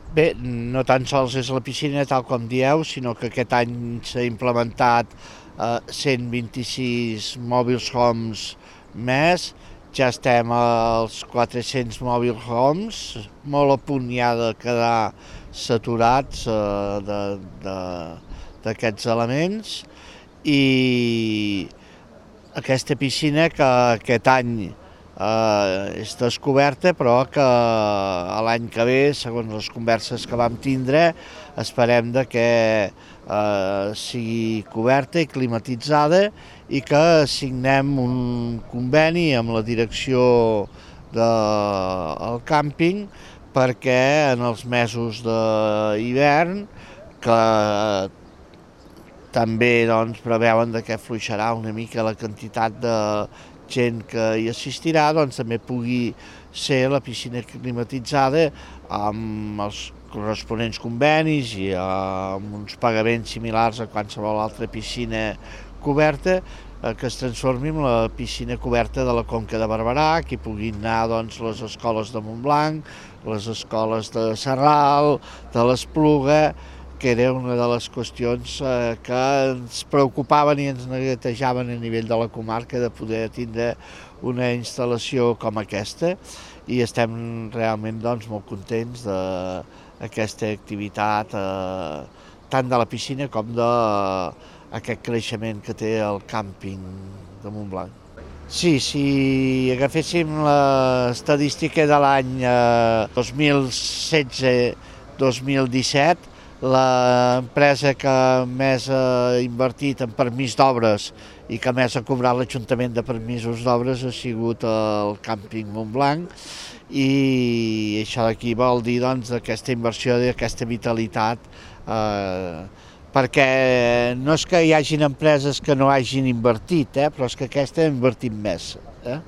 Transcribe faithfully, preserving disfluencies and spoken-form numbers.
Bé, no tan sols és la piscina tal com dieu, sinó que aquest any s'ha implementat eh, cent vint-i-sis mobile homes més, ja estem als quatre-cents mobile homes, molt a punt ja de quedar saturats eh, d'aquests elements, i aquesta piscina que aquest any eh, és descoberta, però que l'any que ve, segons les converses que vam tindre, esperem de que eh, sigui coberta i climatitzada i que signem un conveni amb la direcció del càmping perquè en els mesos d'hivern, que també doncs, preveuen que fluixarà una mica la quantitat de gent que hi assistirà, doncs també pugui ser la piscina climatitzada amb els corresponents convenis i amb uns pagaments similars a qualsevol altra piscina coberta, que es transformi en la piscina coberta de la Conca de Barberà, que hi puguin anar doncs, les escoles de Montblanc, les escoles de Sarral, de l'Espluga, que era una de les qüestions eh, que ens preocupaven i ens neguetejaven a nivell de la comarca de poder tindre una instal·lació com aquesta, i estem realment doncs, molt contents d'aquesta activitat, eh, tant de la piscina com d'aquest creixement que té el càmping de Montblanc. Sí, si agaféssim l'estadística de l'any eh, dos mil setze dos mil disset, l'empresa que més ha invertit en permís d'obres i que més ha cobrat l'Ajuntament de permisos d'obres ha sigut el càmping Montblanc, i això aquí vol dir doncs, aquesta inversió i aquesta vitalitat, eh, perquè no és que hi hagin empreses que no hagin invertit, eh, però és que aquesta ha invertit més. Eh?